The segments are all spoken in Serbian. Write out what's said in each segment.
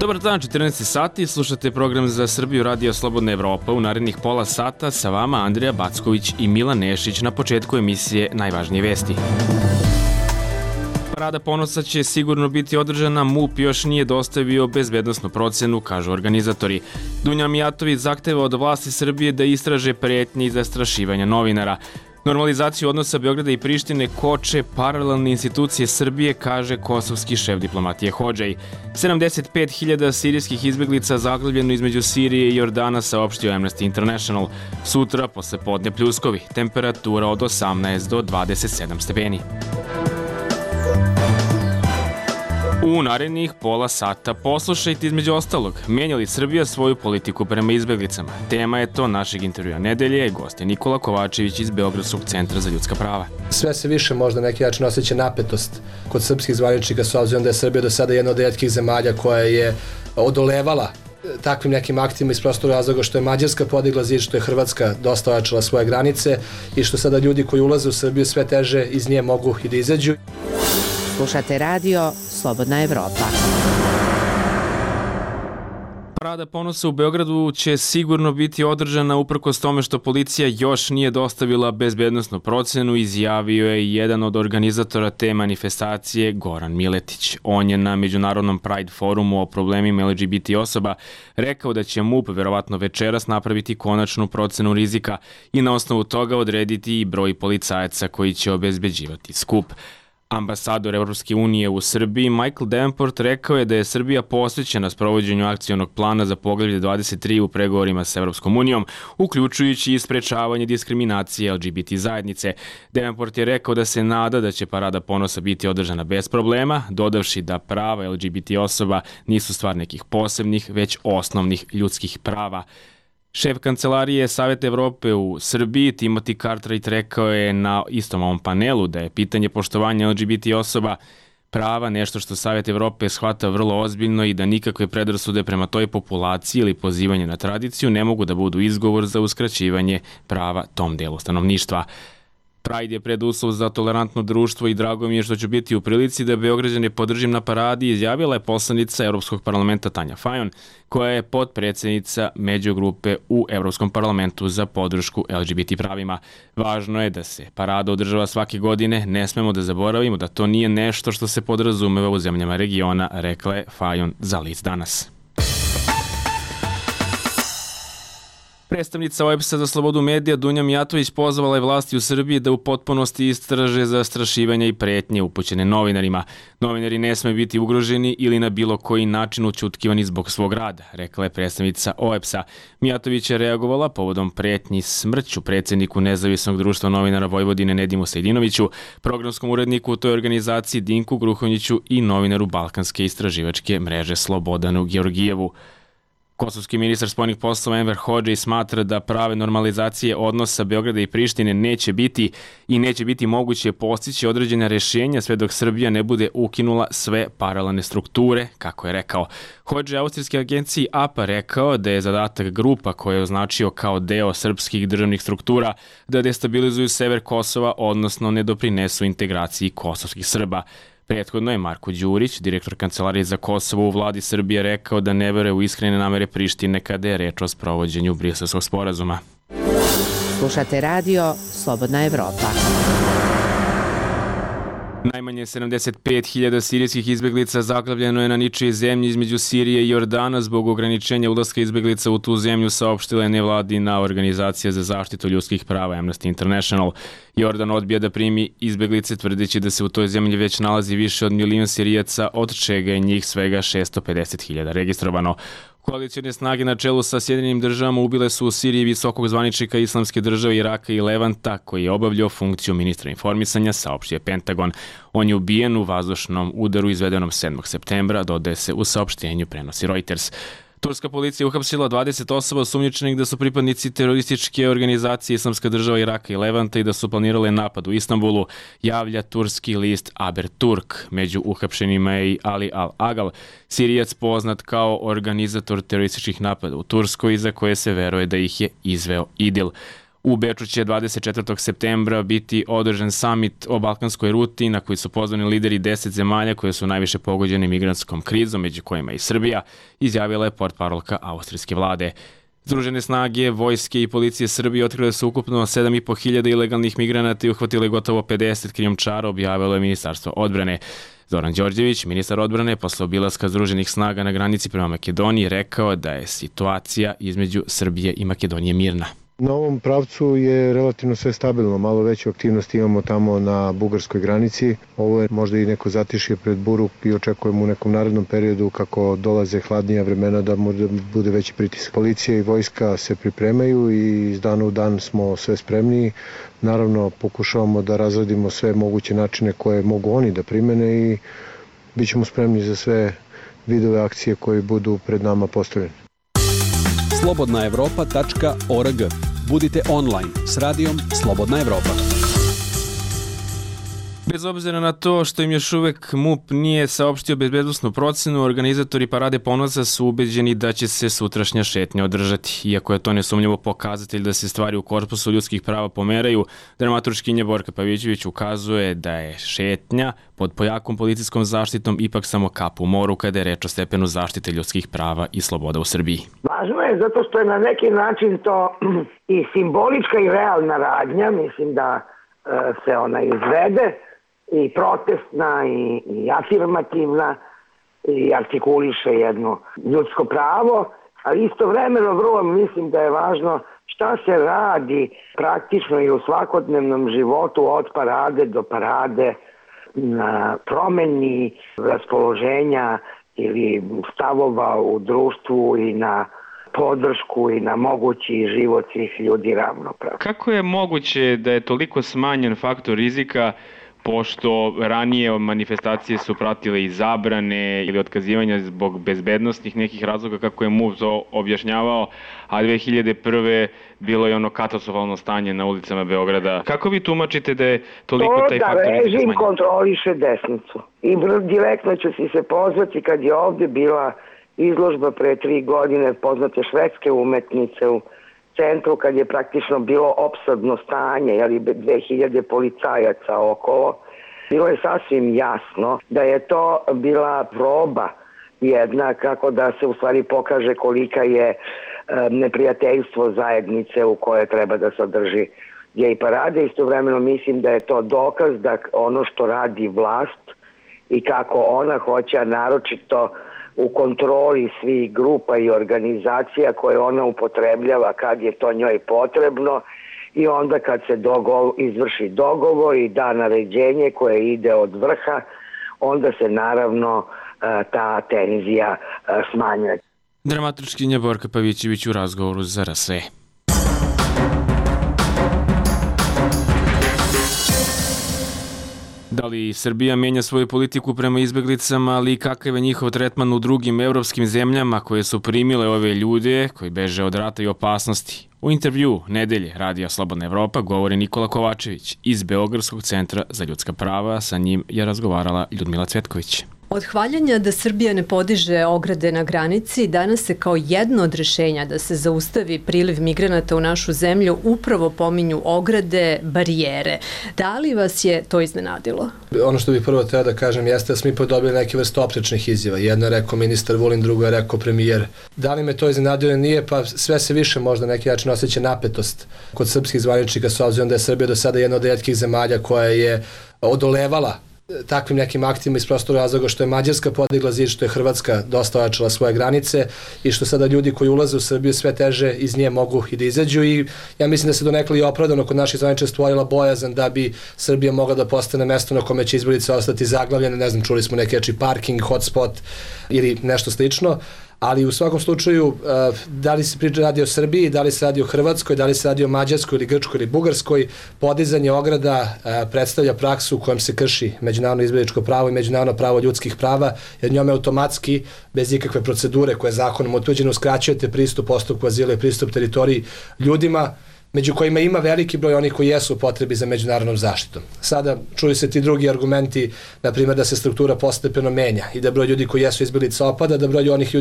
Dobar dan, 14 sati, slušate program za Srbiju Radio Slobodna Evropa. U narednih pola sata sa vama Andrija Backović i Milan Nešić. Na početku emisije najvažnije vesti. Parada ponosa će sigurno biti održana, MUP još nije dostavio bezbednosnu procenu, kažu organizatori. Dunja Mijatović zahteva od vlasti Srbije da istraže pretnje i zastrašivanja novinara. Normalizaciju odnosa Beograda i Prištine koče paralelne institucije Srbije, kaže kosovski šef diplomatije Hodžaj. 75.000 sirijskih izbeglica zaglavljeno između Sirije i Jordana, saopštio Amnesty International. Sutra posle podne pljuskovi, temperatura od 18 do 27 stepeni. U narednih pola sata poslušajte između ostalog, menja li Srbija svoju politiku prema izbeglicama? Tema je to našeg intervjua nedelje, gost je Nikola Kovačević iz Beogradskog centra za ljudska prava. Sve se više možda na neki način osjeća napetost kod srpskih zvaničnika, s obzirom da je Srbija do sada jedna od retkih zemalja koja je odolevala takvim nekim aktima iz prostog razloga što je Mađarska podigla zid, što je Hrvatska dosta ojačala svoje granice i što sada ljudi koji ulaze u Srbiju sve teže iz nje mogu i da izađu. Slušate radio Slobodna Evropa. Parada ponosa u Beogradu će sigurno biti održana uprkos tome što policija još nije dostavila bezbednosnu procenu, izjavio je jedan od organizatora te manifestacije, Goran Miletić. On je na Međunarodnom Pride forumu o problemima LGBT osoba rekao da će MUP verovatno večeras napraviti konačnu procenu rizika i na osnovu toga odrediti i broj policajaca koji će obezbeđivati skup. Ambasador Evropske unije u Srbiji Michael Davenport rekao je da je Srbija posvećena sprovođenju akcionog plana za poglavlje 23 u pregovorima sa Evropskom unijom, uključujući i sprečavanje diskriminacije LGBT zajednice. Davenport je rekao da se nada da će parada ponosa biti održana bez problema, dodavši da prava LGBT osoba nisu stvar nekih posebnih, već osnovnih ljudskih prava. Šef kancelarije Saveta Evrope u Srbiji, Timothy Cartwright, rekao je na istom ovom panelu da je pitanje poštovanja LGBT osoba prava nešto što Savet Evrope shvata vrlo ozbiljno i da nikakve predrasude prema toj populaciji ili pozivanje na tradiciju ne mogu da budu izgovor za uskraćivanje prava tom delu stanovništva. Pride je preduslov za tolerantno društvo i drago mi je što ću biti u prilici da Beograđane podržim na paradi, izjavila je poslanica Evropskog parlamenta Tanja Fajon, koja je potpredsednica međugrupe u Evropskom parlamentu za podršku LGBT pravima. Važno je da se parada održava svake godine, ne smemo da zaboravimo da to nije nešto što se podrazumeva u zemljama regiona, rekla je Fajon za List danas. Predstavnica OEBS-a za slobodu medija Dunja Mijatović pozvala je vlasti u Srbiji da u potpunosti istraže zastrašivanja i pretnje upućene novinarima. Novinari ne sme biti ugroženi ili na bilo koji način ućutkivani zbog svog rada, rekla je predstavnica OEBS-a. Mijatović je reagovala povodom pretnji smrću predsjedniku Nezavisnog društva novinara Vojvodine Nedimu Sejdinoviću, programskom uredniku u toj organizaciji Dinku Gruhonjiću i novinaru Balkanske istraživačke mreže Slobodanu Georgijevu. Kosovski ministar spoljnih poslova Enver Hodžaj smatra da prave normalizacije odnosa Beograda i Prištine neće biti moguće postići određena rješenja sve dok Srbija ne bude ukinula sve paralelne strukture, kako je rekao. Hodžaj austrijske agenciji APA rekao da je zadatak grupa koje je označio kao deo srpskih državnih struktura da destabilizuju sever Kosova, odnosno ne doprinesu integraciji kosovskih Srba. Prethodno je Marko Đurić, direktor Kancelarije za Kosovo u vladi Srbije, rekao da ne veruje u iskrene namere Prištine kada je reč o sprovođenju Briselskog sporazuma. Slušate radio Slobodna Evropa. Najmanje 75.000 sirijskih izbeglica zaglavljeno je na ničijoj zemlji između Sirije i Jordana zbog ograničenja ulaska izbeglica u tu zemlju, saopštila je nevladina organizacija za zaštitu ljudskih prava Amnesty International. Jordan odbija da primi izbeglice tvrdeći da se u toj zemlji već nalazi više od 1 milion Sirijaca, od čega je njih svega 650.000 registrovano. Koalicijne snage na čelu sa Sjedinjenim državama ubile su u Siriji visokog zvaničnika Islamske države Iraka i Levanta, koji je obavljao funkciju ministra informisanja, saopštio Pentagon. On je ubijen u vazdušnom udaru izvedenom 7. septembra, dodaje se u saopštenju, prenosi Reuters. Turska policija uhapsila 20 osoba osumnjičenih da su pripadnici terorističke organizacije Islamska država Iraka i Levanta i da su planirale napad u Istanbulu, javlja turski list Haberturk. Među uhapšenima je i Ali Al-Agal, Sirijac poznat kao organizator terorističkih napada u Turskoj, za koje se veruje da ih je izveo IDIL. U Beču će 24. septembra biti održan summit o balkanskoj ruti na koji su pozvani lideri 10 zemalja koje su najviše pogođene migrantskom krizom, među kojima i Srbija, izjavila je portparolka austrijske vlade. Združene snage, vojske i policije Srbije otkrile su ukupno 7.500 ilegalnih migranata i uhvatile gotovo 50 krijumčara, objavilo je Ministarstvo odbrane. Zoran Đorđević, ministar odbrane, posle obilaska Združenih snaga na granici prema Makedoniji, rekao da je situacija između Srbije i Makedonije mirna. Na ovom pravcu je relativno sve stabilno, malo veću aktivnost imamo tamo na bugarskoj granici. Ovo je možda i neko zatišje pred buru i očekujemo u nekom narednom periodu kako dolaze hladnija vremena da možda bude veći pritisak. Policija i vojska se pripremaju i iz dana u dan smo sve spremniji. Naravno pokušavamo da razradimo sve moguće načine koje mogu oni da primene i bit ćemo spremni za sve vidove akcije koje budu pred nama postavljene. slobodnaevropa.org. Budite online s radijom Slobodna Evropa. Bez obzira na to što im još uvek MUP nije saopštio bezbednosnu procenu, organizatori Parade ponosa su ubeđeni da će se sutrašnja šetnja održati. Iako je to nesumnjivo pokazatelj da se stvari u korpusu ljudskih prava pomeraju, dramaturškinja Borka Pavićević ukazuje da je šetnja pod pojakom policijskom zaštitom ipak samo kap u moru kada je reč o stepenu zaštite ljudskih prava i sloboda u Srbiji. Važno je zato što je na neki način to i simbolička i realna radnja, mislim da se ona izvede, i protestna i afirmativna i artikuliše jedno ljudsko pravo, ali istovremeno vrlo mislim da je važno šta se radi praktično i u svakodnevnom životu od parade do parade na promeni raspoloženja ili stavova u društvu i na podršku i na mogući život svih ljudi ravnopravno. Kako je moguće da je toliko smanjen faktor rizika, pošto ranije manifestacije su pratile i zabrane ili otkazivanja zbog bezbednostnih nekih razloga, kako je MUP to objašnjavao, a 2001. bilo je ono katastrofalno stanje na ulicama Beograda. Kako vi tumačite da je toliko taj faktor rizika smanjen? To da režim kontroliše desnicu. I direktno ću se pozvati kad je ovde bila izložba pre 3 godine poznate švedske umetnice u centru, kad je praktično bilo opsadno stanje, jeli 2000 policajaca okolo. Bilo je sasvim jasno da je to bila proba jedna, kako da se u stvari pokaže kolika je neprijateljstvo zajednice u kojoj treba da se održi gej parade. Istovremeno mislim da je to dokaz da ono što radi vlast i kako ona hoće, naročito u kontroli svih grupa i organizacija koje ona upotrebljava kad je to njoj potrebno i onda kad se izvrši dogovor i da naređenje koje ide od vrha, onda se naravno ta tenzija smanjuje. Dramaturškinja Borka Pavićević u razgovoru za RSE. Da li Srbija menja svoju politiku prema izbeglicama, ali i kakav je njihov tretman u drugim evropskim zemljama koje su primile ove ljude koji beže od rata i opasnosti? U intervju nedelje Radija Slobodna Evropa govori Nikola Kovačević iz Beogradskog centra za ljudska prava. Sa njim je razgovarala Ljudmila Cvetković. Od hvaljanja da Srbija ne podiže ograde na granici, danas se kao jedno od rešenja da se zaustavi priliv migranata u našu zemlju upravo pominju ograde, barijere. Da li vas je to iznenadilo? Ono što bih prvo treba da kažem jeste da smo ipak dobili neke vrste oprečnih izjava. Jedno je rekao ministar Vulin, drugo je rekao premijer. Da li me to iznenadilo nije, pa sve se više možda na neki način osjeća napetost kod srpskih zvaničnika, s obzirom da je Srbija do sada jedna od retkih zemalja koja je odolevala takvim nekim aktima iz prostora razloga što je Mađarska podigla zid, što je Hrvatska dosta ojačala svoje granice i što sada ljudi koji ulaze u Srbiju sve teže iz nje mogu i da izađu i ja mislim da se donekle i opravdano kod naših zvaničnika stvorila bojazan da bi Srbija mogla da postane mesto na kome će izbjeglice ostati zaglavljene, ne znam, čuli smo neki parking, hotspot ili nešto slično. Ali u svakom slučaju, da li se radi o Srbiji, da li se radi o Hrvatskoj, da li se radi o Mađarskoj ili Grčkoj ili Bugarskoj, podizanje ograda predstavlja praksu u kojem se krši međunarodno izbjegličko pravo i međunarodno pravo ljudskih prava, jer njome automatski, bez ikakve procedure koje je zakonom utvrđeno, uskraćujete pristup postupku azila i pristup teritoriji ljudima među kojima ima veliki broj onih koji jesu u potrebi za međunarodnom zaštitom. Sada čuju se ti drugi argumenti, na primjer da se struktura postepeno menja i da broj ljudi koji jesu izbjeglice opada, da broj onih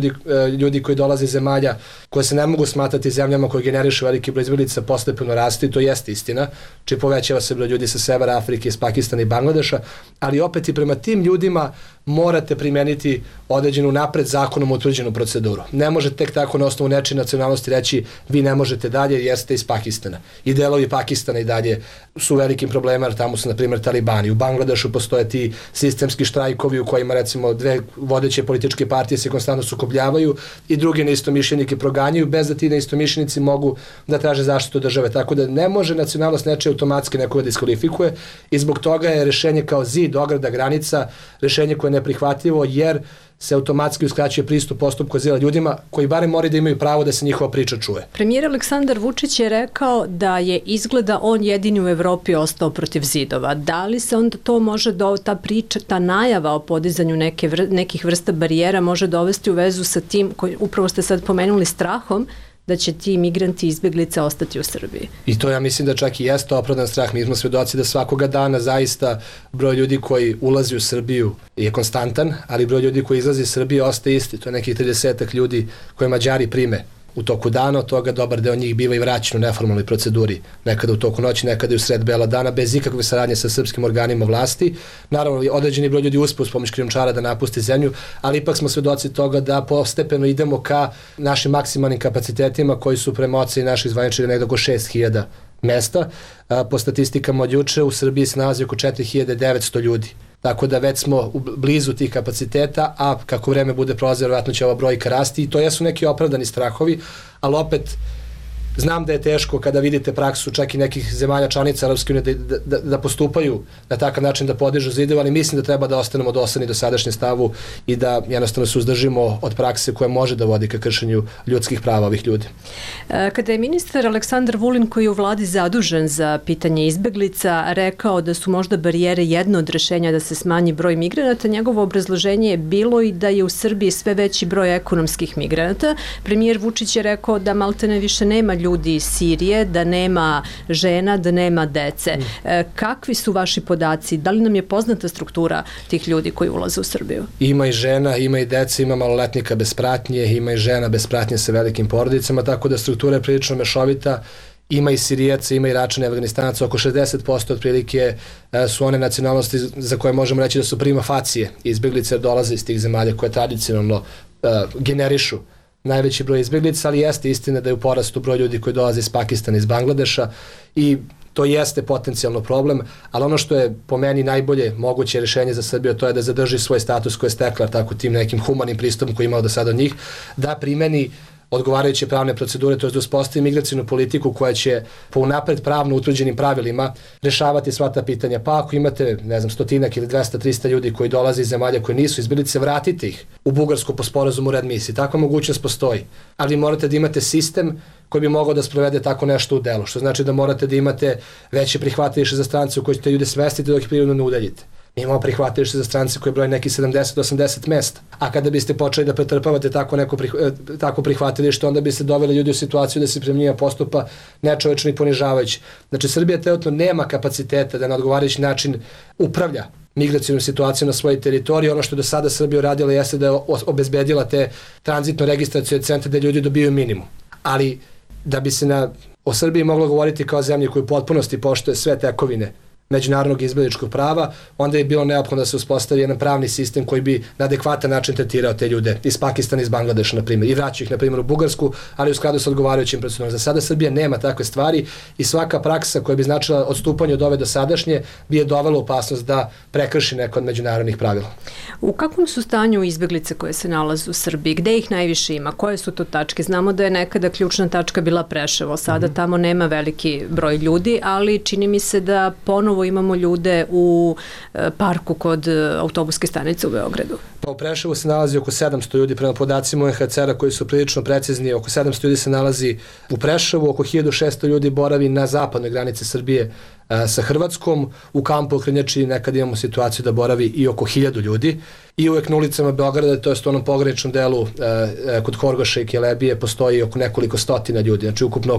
ljudi koji dolaze iz zemalja koje se ne mogu smatrati zemljama koje generišu veliki broj izbjeglica postepeno raste, to jeste istina, či povećava se broj ljudi sa severa Afrike, iz Pakistana i Bangladeša, ali opet i prema tim ljudima morate primeniti određenu napred zakonom utvrđenu proceduru. Ne možete tek tako na osnovu nečije nacionalnosti reći vi ne možete dalje jer ste iz Pakistana. I delovi Pakistana i dalje su velikim problemima, jer tamo su na primjer talibani. U Bangladešu postoje ti sistemski štrajkovi u kojima recimo dve vodeće političke partije se konstantno sukobljavaju i drugi neistomišljenike proganjaju bez da ti neistomišljenici mogu da traže zaštitu države. Tako da ne može nacionalnost nečije automatski nekoga diskvalifikuje i zbog toga je rešenje kao zid, ograda, granica, rešenje koje je neprihvatljivo jer se automatski uskraćuje pristup postupku azila ljudima koji barem moraju da imaju pravo da se njihova priča čuje. Premijer Aleksandar Vučić je rekao da je izgleda on jedini u Evropi ostao protiv zidova. Da li se onda to može, ta priča, ta najava o podizanju nekih vrsta barijera može dovesti u vezu sa tim, koji upravo ste sad pomenuli, strahom da će ti migranti i izbjeglice ostati u Srbiji? I to ja mislim da čak i jeste opravdan strah. Mi smo svedoci da svakoga dana zaista broj ljudi koji ulazi u Srbiju je konstantan, ali broj ljudi koji izlazi iz Srbije ostaje isti. To je nekih 30 ljudi koje Mađari prime u toku dana, od toga dobar deo njih biva i vraćen u neformalnoj proceduri, nekada u toku noći, nekada i u sred bela dana, bez ikakve saradnje sa srpskim organima vlasti. Naravno, određeni broj ljudi uspe uz pomoć krijumčara da napusti zemlju, ali ipak smo svedoci toga da postepeno idemo ka našim maksimalnim kapacitetima koji su prema oceni naših zvaničnika negdje oko 6000 mesta. Po statistikama od juče u Srbiji se nalazi oko 4900 ljudi. Tako da već smo blizu tih kapaciteta, a kako vreme bude prolazilo, vjerojatno će ova brojka rasti i to jesu neki opravdani strahovi, ali opet znam da je teško kada vidite praksu čak i nekih zemalja članica Europske unije da postupaju na takav način da podižu zidove, ali mislim da treba da ostanemo dosledni do sadašnjem stavu i da jednostavno se uzdržimo od prakse koja može da vodi ka kršenju ljudskih prava ovih ljudi. Kada je ministar Aleksandar Vulin, koji je u vladi zadužen za pitanje izbeglica, rekao da su možda barijere jedno od rešenja da se smanji broj migranata, njegovo obrazloženje je bilo i da je u Srbiji sve veći broj ekonomskih migranata. Premijer Vučić je rekao da maltene više nema ljudi iz Sirije, da nema žena, da nema dece. Kakvi su vaši podaci? Da li nam je poznata struktura tih ljudi koji ulaze u Srbiju? Ima i žena, ima i dece, ima maloletnika bez pratnje, ima i žena bez pratnje sa velikim porodicama, tako da struktura je prilično mešovita. Ima i Sirijaca, ima i Iračana i Afganistanaca, oko 60% otprilike su one nacionalnosti za koje možemo reći da su prima facije. Izbjeglice dolaze iz tih zemalja koje tradicionalno generišu najveći broj izbjeglica, ali jeste istina da je u porastu broj ljudi koji dolaze iz Pakistana, iz Bangladeša i to jeste potencijalno problem, ali ono što je po meni najbolje moguće rješenje za Srbiju, to je da zadrži svoj status koji je stekla tako tim nekim humanim pristupom koji je imao do sada od njih, da primeni odgovarajuće pravne procedure, to je da uspostavi migracijnu politiku koja će po unapred pravno utvrđenim pravilima rešavati sva ta pitanja. Pa ako imate, ne znam, 100 ili 200-300 ljudi koji dolaze iz zemalja koje nisu izbjeglice, vratite ih u Bugarsku po sporazumu readmisiji. Takva mogućnost postoji, ali morate da imate sistem koji bi mogao da sprovede tako nešto u delu, što znači da morate da imate veće prihvatilište za strance u koje ćete ljude smestiti dok ih prirodno ne udaljite. Mi imamo prihvatilište za strance koje broje neki 70-80 mesta. A kada biste počeli da pretrpavate tako prihvatilište, onda biste doveli ljudi u situaciju da se prema njima postupa nečovečno i ponižavajući. Znači, Srbija trenutno nema kapaciteta da na odgovarajući način upravlja migracijnom situacijom na svojoj teritoriji. Ono što je do sada Srbija uradila jeste da je obezbedila te tranzitno registracione centre da ljudi dobiju minimum. Ali da bi se o Srbiji moglo govoriti kao zemlji koju u potpunosti poštuje sve tekovine međunarodnog izbjegličkog prava, onda je bilo neophodno da se uspostavi jedan pravni sistem koji bi na adekvatan način tretirao te ljude iz Pakistana, iz Bangladeša, na primjer, i vraćaju ih, na primjer, u Bugarsku, ali u skladu sa odgovarajućim procedurama. Za sada Srbija nema takve stvari i svaka praksa koja bi značila odstupanje od ove dosadašnje bi je dovela opasnost da prekrši neko od međunarodnih pravila. U kakvom su stanju izbjeglice koje se nalaze u Srbiji? Gde ih najviše ima? Koje su to tačke? Znamo da je nekada ključna tačka bila Preševo, sada tamo nema veliki broj ljudi, ali čini mi se da ponovo imamo ljude u parku kod autobuske stanice u Beogradu. Pa u Preševu se nalazi oko 700 ljudi, prema podacima UNHCR-a koji su prilično precizni, oko 700 ljudi se nalazi u Preševu, oko 1600 ljudi boravi na zapadnoj granici Srbije sa Hrvatskom. U kampu u Krnjači nekad imamo situaciju da boravi i oko 1000 ljudi i uvek na ulicama Beograda, to je u onom pograničnom delu kod Horgoša i Kelebije, postoji oko nekoliko stotina ljudi, znači ukupno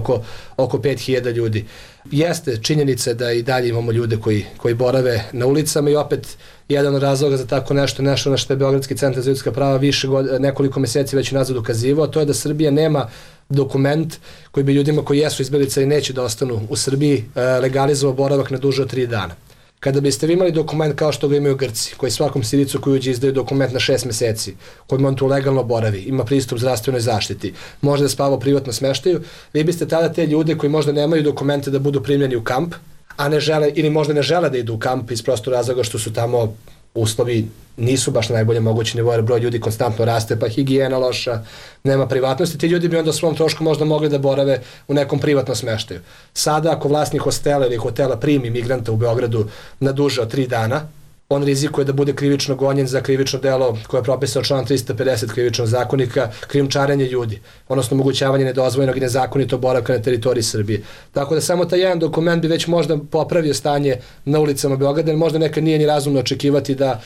oko 5000 ljudi. Jeste činjenica da i dalje imamo ljude koji borave na ulicama i opet jedan od razloga za tako nešto na što je Beogradski centar za ljudska prava nekoliko meseci već nazad ukazivao, to je da Srbija nema dokument koji bi ljudima koji jesu izbeglice i neće da ostanu u Srbiji legalizovao boravak na duže od 3 dana. Kada biste vi imali dokument kao što ga imaju Grci, koji svakom Siricu koji uđe izdaju dokument na 6 meseci, kojim on tu legalno boravi, ima pristup zdravstvenoj zaštiti, može da spava u privatnom smeštaju, vi biste tada te ljude koji možda nemaju dokumente da budu primljeni u kamp, a ne žele ili možda ne žele da idu u kamp iz prostog razloga što su tamo uslovi nisu baš na najbolje mogući nivoje, broj ljudi konstantno raste, pa higijena loša, nema privatnosti, ti ljudi bi onda o svom trošku možda mogli da borave u nekom privatnom smeštaju. Sada ako vlasnik hostela ili hotela primi migranta u Beogradu na duže od 3 dana, on rizikuje da bude krivično gonjen za krivično delo koje je propisao član 350 krivičnog zakonika, krijumčarenje ljudi, odnosno omogućavanje nedozvoljenog i nezakonitog boravka na teritoriji Srbije. Tako da samo taj jedan dokument bi već možda popravio stanje na ulicama Beograda, jer možda nekad nije ni razumno očekivati da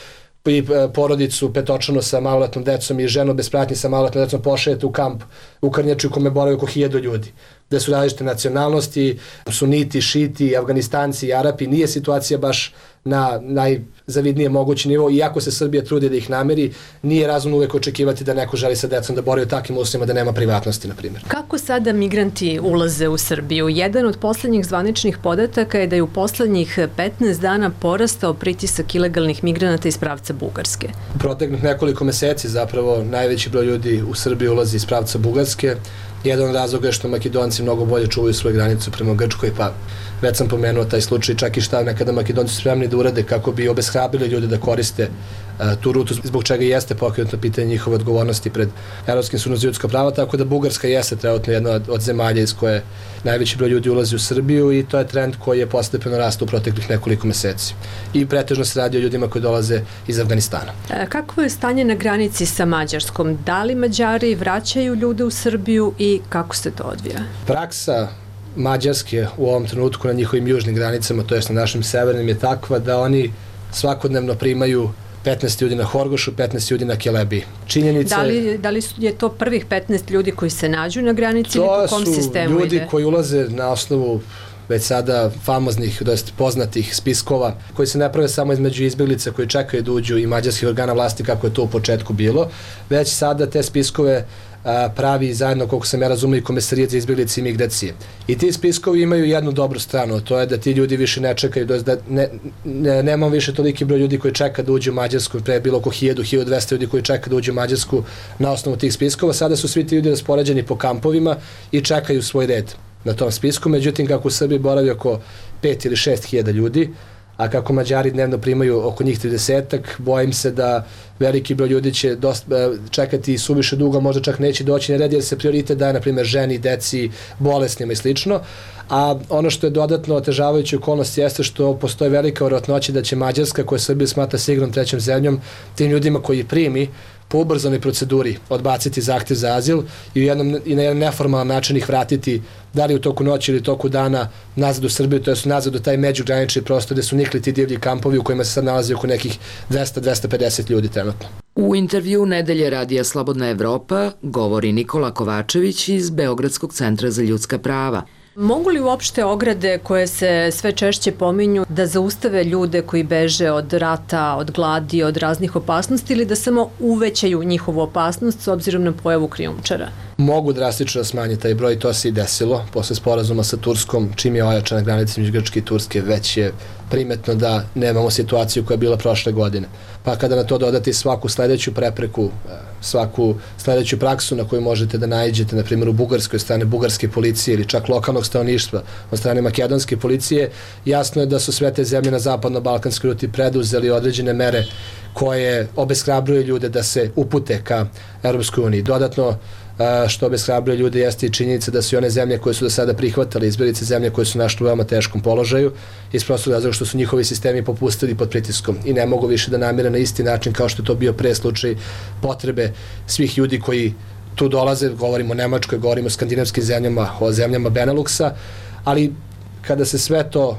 i porodicu petočlanu sa maloletnom decom i ženu bez pratnje sa maloletnom decom pošaljete u kamp u Krnjači u kome boravi oko 1000 ljudi, gde su različite nacionalnosti, suniti, šiti, Afganistanci, Arapi, nije situacija baš na najzavidnije mogući nivo, iako se Srbija trudi da ih nameri, nije razumno uvek očekivati da neko želi sa decom da boravi u takvim uslovima da nema privatnosti, na primjer. Kako sada migranti ulaze u Srbiju? Jedan od poslednjih zvaničnih podataka je da je u poslednjih 15 dana porastao pritisak ilegalnih migranata iz pravca Bugarske. U proteklih nekoliko meseci zapravo najveći broj ljudi u Srbiji ulazi iz pravca Bugarske. Jedan od razloga je što Makedonci mnogo bolje čuvaju svoju granicu prema Grčkoj, pa već sam pomenuo taj slučaj, čak i šta nekada Makedonci spremni da urade kako bi obeshrabrili ljude da koriste tu rutu, zbog čega jeste pokrenuto pitanje njihove odgovornosti pred Evropskim sudom za ljudska prava, tako da Bugarska jeste trenutno jedna od zemalja iz koje najveći broj ljudi ulazi u Srbiju i to je trend koji je postepeno rastao u proteklih nekoliko meseci. I pretežno se radi o ljudima koji dolaze iz Afganistana. Kako je stanje na granici sa Mađarskom? Da li Mađari vraćaju ljude u Srbiju i kako se to odvija? Praksa Mađarske u ovom trenutku na njihovim južnim granicama, to jest na našim severnim, je takva da oni svakodnevno primaju 15 ljudi na Horgošu, 15 ljudi na Kelebiji. Činjenica da li je to prvih 15 ljudi koji se nađu na granici ili po kom sistemu ide? To su ljudi koji ulaze na osnovu već sada famoznih, poznatih spiskova koji se ne prave samo između izbjeglica koji čekaju da uđu i mađarskih organa vlasti kako je to u početku bilo, već sada te spiskove pravi zajedno, koliko sam ja razumio, i Komesarijat za izbjeglice i migracije. I ti spiskovi imaju jednu dobru stranu, to je da ti ljudi više ne čekaju, da nemamo više toliki broj ljudi koji čeka da uđu u Mađarsku, pre je bilo oko 1000-1200 ljudi koji čeka da uđu u Mađarsku na osnovu tih spiskova, sada su svi ti ljudi raspoređeni po kampovima i čekaju svoj red na tom spisku, međutim kako u Srbiji boravi oko 5 ili 6 hiljada ljudi, a kako Mađari dnevno primaju oko njih 30-ak, bojim se da veliki broj ljudi će čekati suviše dugo, možda čak neće doći na red jer se prioritet daje, na primjer, ženi, deci, bolesnima i slično. A ono što je dodatno otežavajuća okolnost jeste što postoji velika verovatnoća da će Mađarska, koja Srbija smatra sigurnom trećom zemljom, tim ljudima koji primi po ubrzanoj proceduri odbaciti zahtev za azil i na jedan neformalan način ih vratiti, da li u toku noći ili toku dana, nazad u Srbiju, to je nazad u taj međugranični prostor gde su nikli ti divlji kampovi u kojima se sad nalazi oko nekih 200-250 ljudi trenutno. U intervju Nedelje radija Slobodna Evropa govori Nikola Kovačević iz Beogradskog centra za ljudska prava. Mogu li uopšte ograde koje se sve češće pominju da zaustave ljude koji beže od rata, od gladi, od raznih opasnosti ili da samo uvećaju njihovu opasnost s obzirom na pojavu krijumčara? Mogu drastično da smanje taj broj, to se i desilo. Posle sporazuma sa Turskom, čim je ojačana granica između Grčke i Turske, već je primetno da nemamo situaciju koja je bila prošle godine. Pa kada na to dodati svaku sledeću prepreku, svaku sledeću praksu na koju možete da naiđete, na primjer u Bugarskoj, od strane bugarske policije ili čak lokalnog stanovništva, od strane makedonske policije, jasno je da su sve te zemlje na zapadno-balkanskoj ruti preduzeli određene mere koje obeshrabruju ljude da se upute ka Europskoj uniji. Dodatno, što obeshrabruje ljude jeste i činjenica da su i one zemlje koje su do sada prihvatale izbjeglice zemlje koje su našli u veoma teškom položaju iz prostog razloga što su njihovi sistemi popustili pod pritiskom i ne mogu više da namire na isti način kao što je to bio pre slučaj potrebe svih ljudi koji tu dolaze, govorimo o Nemačkoj, govorimo o skandinavskim zemljama, o zemljama Beneluxa, ali kada se sve to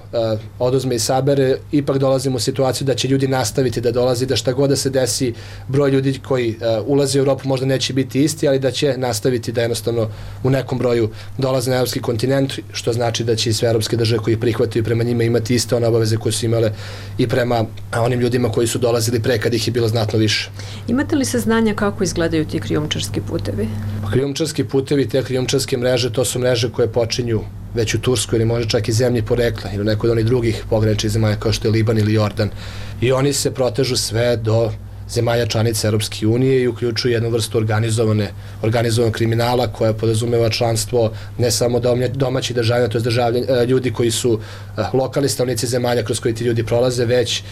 oduzme i sabere, ipak dolazimo u situaciju da će ljudi nastaviti da dolazi, da šta god da se desi, broj ljudi koji ulaze u Europu možda neće biti isti, ali da će nastaviti da jednostavno u nekom broju dolaze na evropski kontinent, što znači da će i sve evropske države koji prihvataju prema njima imati iste one obaveze koje su imale i prema onim ljudima koji su dolazili pre kad ih je bilo znatno više. Imate li saznanja kako izgledaju ti krijumčarski putevi? Krijumčarski putevi, te krijumčarske mreže, to su mreže koje počinju već u Turskoj ili može čak i zemlji porekla ili nekoj od onih drugih pograničnih zemalja kao što je Liban ili Jordan. I oni se protežu sve do zemalja članica Europske unije i uključuju jednu vrstu organizovanog kriminala koja podrazumeva članstvo ne samo domaćih državljana, to je ljudi koji su lokalni stanovnici zemalja kroz koji ti ljudi prolaze, već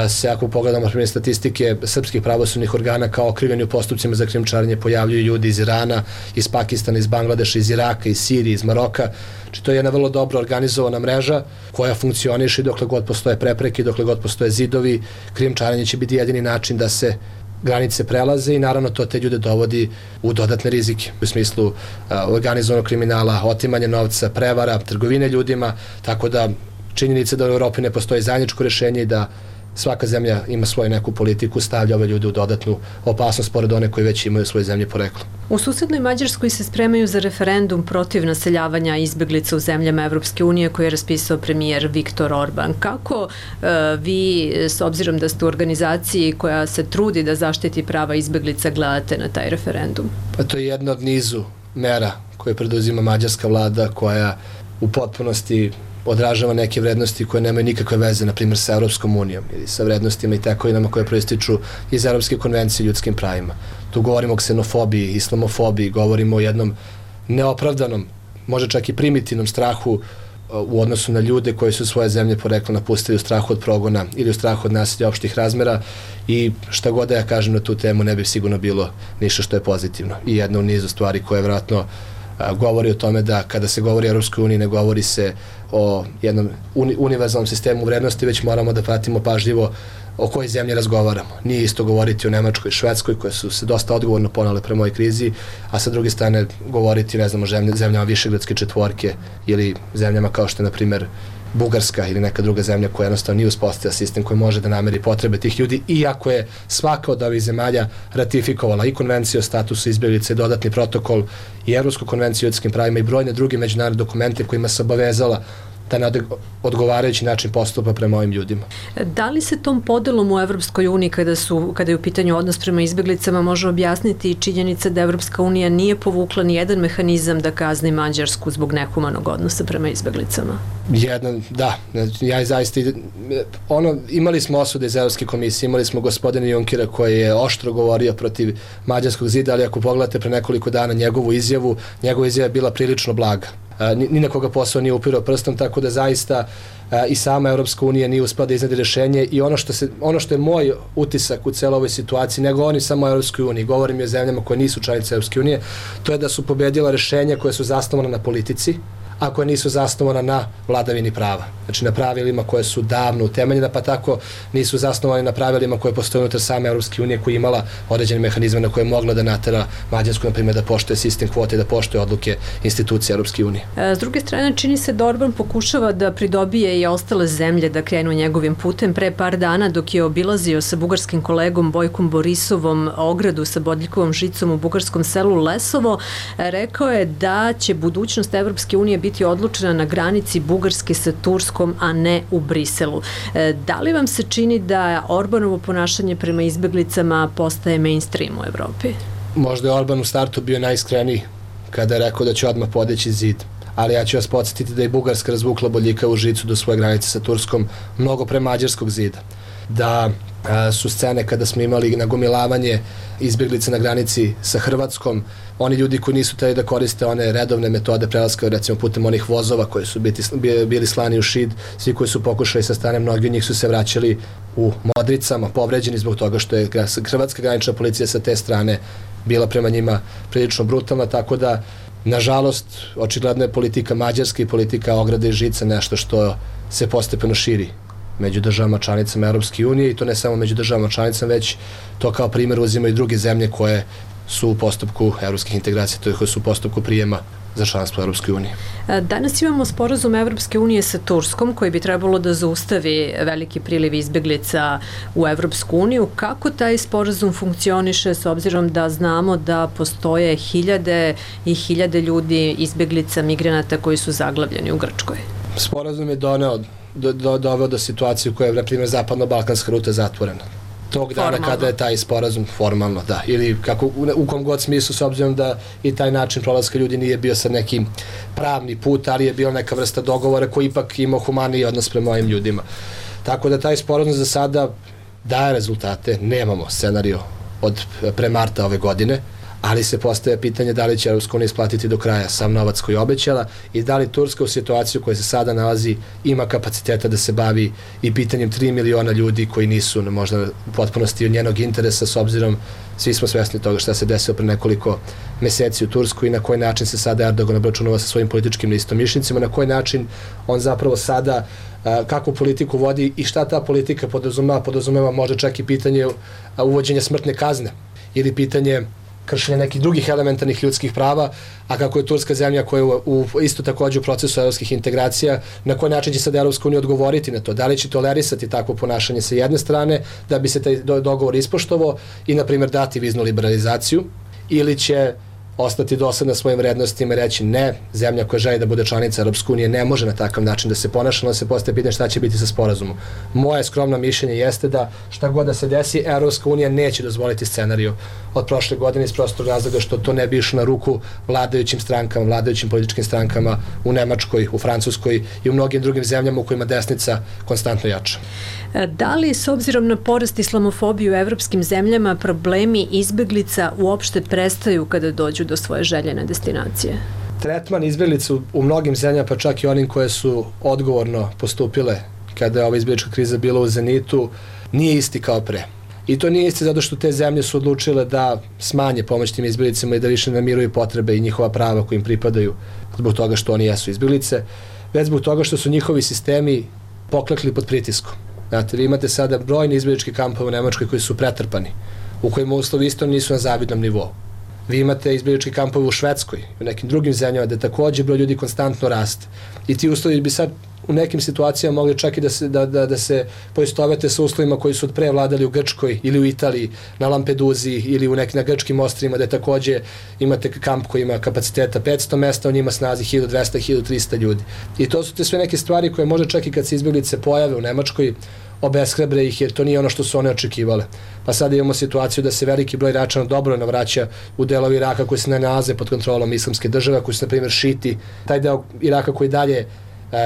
se ako pogledamo na primjer statistike srpskih pravosudnih organa kao okrivljeni u postupcima za krijumčarenje pojavljuju ljudi iz Irana, iz Pakistana, iz Bangladeša, iz Iraka, iz Sirije, iz Maroka. Znači to je jedna vrlo dobro organizovana mreža koja funkcioniše dokle god postoje prepreke, dokle god postoje zidovi. Krijumčarenje će biti jedini način da se granice prelaze i naravno to te ljude dovodi u dodatne rizike u smislu organizovanog kriminala, otimanja novca, prevara, trgovine ljudima, tako da činjenica da u Evropi ne postoji zajedničko rješenje i da svaka zemlja ima svoju neku politiku, stavlja ove ljude u dodatnu opasnost pored one koji već imaju svoje zemlje poreklo. U susednoj Mađarskoj se spremaju za referendum protiv naseljavanja izbeglica u zemljama Evropske unije koji je raspisao premijer Viktor Orban. Kako vi, s obzirom da ste u organizaciji koja se trudi da zaštiti prava izbeglica, gledate na taj referendum? Pa to je jedna od nizu mera koje preduzima mađarska vlada koja u potpunosti odražava neke vrednosti koje nemaju nikakve veze, na primjer, sa Evropskom unijom ili sa vrednostima i tekovinama koje proističu iz Evropske konvencije o ljudskim pravima. Tu govorimo o ksenofobiji, islamofobiji, govorimo o jednom neopravdanom, možda čak i primitivnom strahu u odnosu na ljude koji su svoje zemlje porekla napustili u strahu od progona ili u strahu od nasilja opštih razmera i šta god da ja kažem na tu temu ne bi sigurno bilo ništa što je pozitivno. I jedna u nizu stvari koje vjerojatno govori o tome da kada se govori o Europskoj uniji ne govori se o jednom univerzalnom sistemu vrednosti, već moramo da pratimo pažljivo o kojoj zemlji razgovaramo. Nije isto govoriti o Nemačkoj i Švedskoj koje su se dosta odgovorno ponale prema ovoj krizi, a sa druge strane govoriti, ne znam, o zemljama Višegradske četvorke ili zemljama kao što je, na primjer, Bugarska ili neka druga zemlja koja jednostavno nije uspostavila sistem koji može da nameri potrebe tih ljudi, iako je svaka od ovih zemalja ratifikovala i konvenciju o statusu izbjeglica i dodatni protokol i Evropsku konvenciju o ljudskim pravima i brojne druge međunarodne dokumente kojima se obavezala da na odgovarajući način postupa prema ovim ljudima. Da li se tom podelom u Evropskoj uniji kada je u pitanju odnos prema izbjeglicama može objasniti činjenica da Evropska unija nije povukla ni jedan mehanizam da kazni Mađarsku zbog nehumanog odnosa prema izbjeglicama? Da. Ja zaista imali smo osude iz Evropske komisije, imali smo gospodina Junkera koji je oštro govorio protiv Mađarskog zida, ali ako pogledate pre nekoliko dana njegova izjava je bila prilično blaga. Ni na koga posao nije upirao prstom, tako da zaista i sama Evropska unija nije uspela da iznedi rješenje i ono što je moj utisak u celoj ovoj situaciji, ne govorim samo o Evropskoj uniji, govorim i o zemljama koje nisu članice Evropske unije, to je da su pobedila rješenja koje su zasnovana na politici, a koje nisu zasnovana na vladavini prava. Znači na pravilima koje su davno utemeljena, pa tako nisu zasnovani na pravilima koje postoje unutar same Evropske unije koja je imala određene mehanizme na koje je mogla da natera Mađarsku, na primjer, da poštuje sistem kvote i da poštuje odluke institucije Evropske unije. S druge strane, čini se da Orban pokušava da pridobije i ostale zemlje da krenu njegovim putem. Pre par dana, dok je obilazio sa bugarskim kolegom Bojkom Borisovom ogradu sa bodljikovom žicom u bugarskom selu Lesovo, rekao je da će budućnost Evropske unije biti odlučena na granici Bugarske sa Turskom, a ne u Briselu. Da li vam se čini da Orbanovo ponašanje prema izbjeglicama postaje mainstream u Evropi? Možda je Orban u startu bio najiskreniji kada je rekao da će odmah podići zid, ali ja ću vas podsjetiti da je Bugarska razvukla bodljikavu žicu do svoje granice sa Turskom mnogo pre mađarskog zida. Da su scene kada smo imali nagomilavanje izbjeglica na granici sa Hrvatskom, oni ljudi koji nisu hteli da koriste one redovne metode prelaska, recimo putem onih vozova koji su bili slani u Šid, svi koji su pokušali sa strane, mnogi od njih su se vraćali u Modricama, povređeni zbog toga što je hrvatska granična policija sa te strane bila prema njima prilično brutalna, tako da, nažalost, očigledno je politika Mađarske i politika ograde i žica nešto što se postepeno širi među državama članicama Europske unije i to ne samo među državama članicama, već to kao primjer uzimaju druge zemlje koje su u postupku evropskih integracija, to je koje su u postupku prijema za članstvo u Europskoj uniji. Danas imamo sporazum Evropske unije sa Turskom koji bi trebalo da zaustavi veliki priliv izbeglica u Evropsku uniju. Kako taj sporazum funkcioniše s obzirom da znamo da postoje hiljade i hiljade ljudi, izbeglica, migranata koji su zaglavljeni u Grčkoj? Sporazum je doveo do situacije u kojoj je, na primjer, zapadno-balkanska ruta zatvorena. Tog dana kada je taj sporazum formalno, da, ili kako, u kom god smislu, s obzirom da i taj način prolaska ljudi nije bio sad neki pravni put, ali je bio neka vrsta dogovora koji ipak imao humaniji odnos prema ovim ljudima. Tako da taj sporazum za sada daje rezultate, nemamo scenario od pre marta ove godine, ali se postaje pitanje da li će Europska unija isplatiti do kraja sam novac koji je obećala i da li Turska u situaciju koja se sada nalazi ima kapaciteta da se bavi i pitanjem 3 miliona ljudi koji nisu možda u potpunosti od njenog interesa, s obzirom svi smo svesni toga šta se desilo pre nekoliko meseci u Turskoj i na koji način se sada Erdogan obračunava sa svojim političkim neistomišljenicima, na koji način on zapravo sada kakvu politiku vodi i šta ta politika podrazumeva možda čak i pitanje uvođenja smrtne kazne ili pitanje kršenja nekih drugih elementarnih ljudskih prava, a kako je Turska zemlja koja je isto takođe u procesu evropskih integracija, na koji način će sad Evropska unija odgovoriti na to? Da li će tolerisati takvo ponašanje sa jedne strane, da bi se taj dogovor ispoštovao i, na primjer, dati viznu liberalizaciju, ili će ostati dosadna svojim vrednostima i reći ne, zemlja koja želi da bude članica Europske unije ne može na takav način da se ponaša, onda se postaje pitanje šta će biti sa sporazumom. Moje skromno mišljenje jeste da šta god da se desi, Europska unija neće dozvoliti scenariju od prošle godine iz prostog razloga što to ne bi išlo na ruku vladajućim strankama, vladajućim političkim strankama u Nemačkoj, u Francuskoj i u mnogim drugim zemljama u kojima desnica konstantno jača. Da li, s obzirom na porast islamofobije u evropskim zemljama, problemi izbeglica uopšte prestaju kada dođu do svoje željene destinacije? Tretman izbeglica u mnogim zemljama, pa čak i onim koje su odgovorno postupile kada je ova izbeglička kriza bila u zenitu, nije isti kao pre. I to nije isti zato što te zemlje su odlučile da smanje pomoć tim izbeglicama i da više namiruju potrebe i njihova prava koji im pripadaju zbog toga što oni jesu izbeglice, već zbog toga što su njihovi sistemi poklekli pod pritiskom. Znate, vi imate sada brojni izbeglički kampove u Nemačkoj koji su pretrpani, u kojima uslovi isto nisu na zavidnom nivou. Vi imate izbeglički kampove u Švedskoj, u nekim drugim zemljama gde takođe broj ljudi konstantno raste. I ti uslovi bi sad u nekim situacijama mogli čak i da se poistovete sa uslovima koji su od pre vladali u Grčkoj ili u Italiji, na Lampeduzi ili na grčkim ostrvima gde takođe imate kamp koji ima kapaciteta 500 mesta, on ima snazi 1200-1300 ljudi. I to su te sve neke stvari koje možda čak i kad se izbeglice pojave u Nemačkoj, obeshrabre ih jer to nije ono što su one očekivale. Pa sada imamo situaciju da se veliki broj Iračana dobrovoljno vraća u delovi Iraka koji se ne nalaze pod kontrolom islamske države, koji su, na primjer, šiti. Taj deo Iraka koji dalje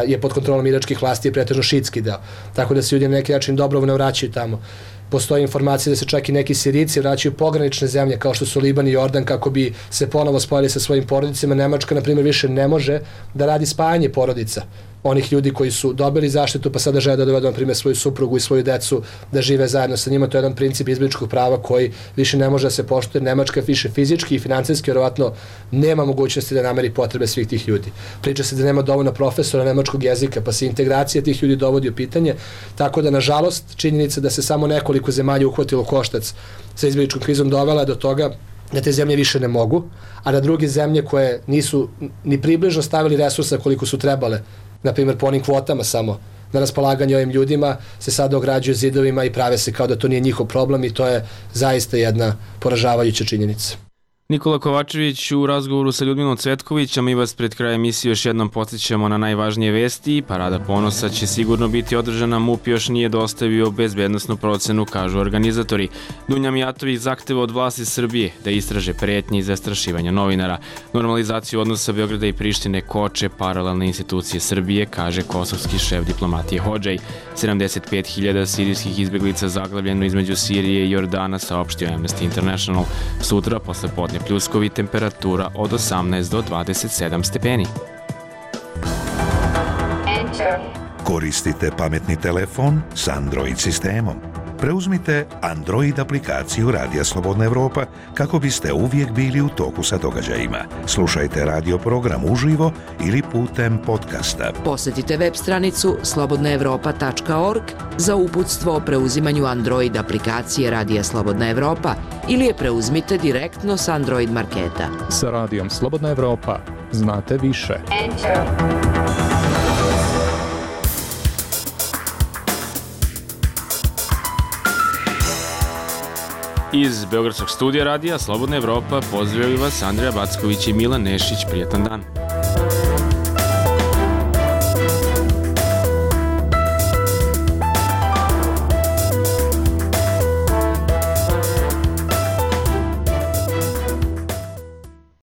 je pod kontrolom iračkih vlasti je pretežno šitski deo. Tako da se ljudi na neki način dobrovoljno vraćaju tamo. Postoje informacije da se čak i neki Sirijci vraćaju pogranične zemlje kao što su Liban i Jordan kako bi se ponovo spojili sa svojim porodicama. Nemačka, na primjer, više ne može da radi spajanje porodica onih ljudi koji su dobili zaštitu pa sada žele da dovedu, na primjer, svoju suprugu i svoju decu da žive zajedno sa njima. To je jedan princip izbegličkog prava koji više ne može da se poštuje. Nemačka više fizički i finansijski vjerovatno nema mogućnosti da nameri potrebe svih tih ljudi. Priča se da nema dovoljno profesora nemačkog jezika, pa se integracija tih ljudi dovodi u pitanje. Tako da, nažalost, činjenica da se samo nekoliko zemalja uhvatilo koštac sa izbegličkom krizom dovela do toga da te zemlje više ne mogu, a da druge zemlje koje nisu ni približno stavili resursa koliko su trebale, na primjer po onim kvotama samo na raspolaganje ovim ljudima, se sada ograđuju zidovima i prave se kao da to nije njihov problem i to je zaista jedna poražavajuća činjenica. Nikola Kovačević u razgovoru sa Ljudminom Cvetković, a mi vas pred kraj emisije još jednom podsjećamo na najvažnije vesti. Parada ponosa će sigurno biti održana, MUP još nije dostavio bezbednosnu procenu, kažu organizatori. Dunja Mijatović zahteva od vlasti Srbije da istraže pretnje i zastrašivanja novinara. Normalizaciju odnosa Beograda i Prištine koče paralelne institucije Srbije, kaže kosovski šef diplomatije Hodžaj. 75.000 sirijskih izbeglica zaglavljeno između Sirije i Jordana, saopštio Amnesty International. Sutra, posle podne pljuskovi, temperatura od 18 do 27 stepeni. Koristite pametni telefon s Android sistemom. Preuzmite Android aplikaciju Radija Slobodna Evropa kako biste uvijek bili u toku sa događajima. Slušajte radio program uživo ili putem podcasta. Posjetite web stranicu slobodnaevropa.org za uputstvo o preuzimanju Android aplikacije Radija Slobodna Evropa ili je preuzmite direktno s Android marketa. Sa Radijom Slobodna Evropa znate više. Iz Beogradskog studija radija Slobodna Evropa pozdravljaju vas Andreja Backović i Milan Nešić. Prijetan dan.